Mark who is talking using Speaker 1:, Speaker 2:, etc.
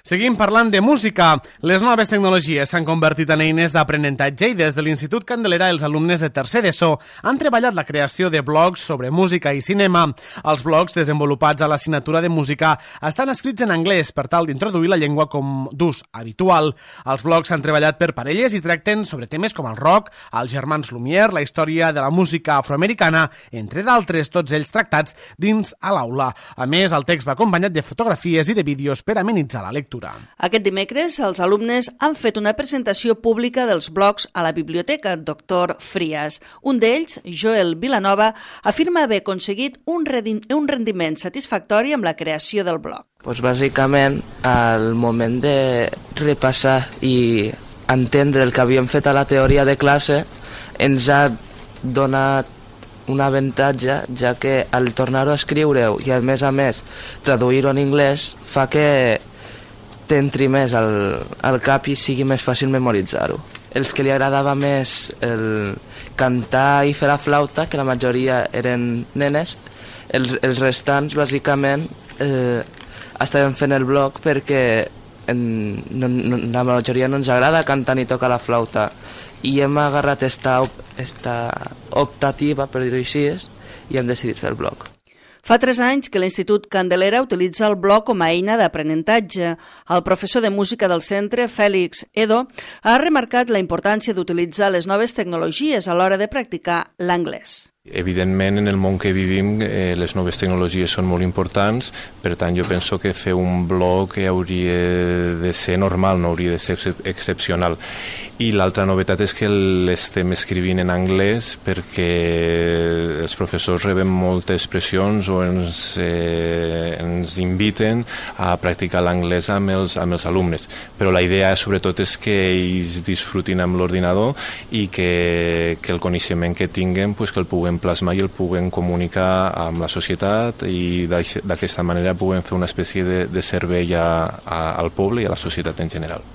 Speaker 1: Seguim parlant de música. Les noves tecnologies s'han convertit en eines d'aprenentatge i des de l'Institut Candelera els alumnes de tercer d'ESO han treballat la creació de blogs sobre música i cinema. Els blogs desenvolupats a l'assignatura de música estan escrits en anglès per tal d'introduir la llengua com d'ús habitual. Els blogs s'han treballat per parelles i tracten sobre temes com el rock, els germans Lumière, la història de la música afroamericana, entre d'altres, tots ells tractats dins a l'aula. A més, el text va acompanyat de fotografies i de vídeos per amenitzar la lectura.
Speaker 2: Aquest dimecres, els alumnes han fet una presentació pública dels blogs a la biblioteca Dr. Frías. Un d'ells, Joel Vilanova, afirma haver aconseguit un rendiment satisfactori amb la creació del blog.
Speaker 3: Bàsicament, al moment de repassar i entendre el que havíem fet a la teoria de classe, ens ha donat un avantatge, ja que al tornar-ho a escriure-ho i a més traduir-ho en anglès fa que t'entri més al cap i sigui més fàcil memoritzar-ho. Els que li agradava més el cantar i fer la flauta, que la majoria eren nenes, els restants bàsicament estaven fent el blog perquè la majoria no ens agrada cantar ni tocar la flauta i hem agarrat esta optativa, per dir-ho així, i hem decidit fer el blog.
Speaker 2: Fa 3 anys que l'Institut Candelera utilitza el blog com a eina d'aprenentatge. El professor de música del centre, Félix Edo, ha remarcat la importància d'utilitzar les noves tecnologies a l'hora de practicar l'anglès.
Speaker 4: Evidentment, en el món que vivim, les noves tecnologies són molt importants, per tant, jo penso que fer un blog hauria de ser normal, no hauria de ser excepcional. I l'altra novetat és que l'estem escrivint en anglès perquè els professors reben moltes pressions o ens inviten a practicar l'anglès amb els alumnes. Però la idea, sobretot, és que ells disfrutin amb l'ordinador i que el coneixement que tinguen que el puguem plasmar i el puguem comunicar amb la societat i d'aquesta manera puguem fer una espècie de servei al poble i a la societat en general.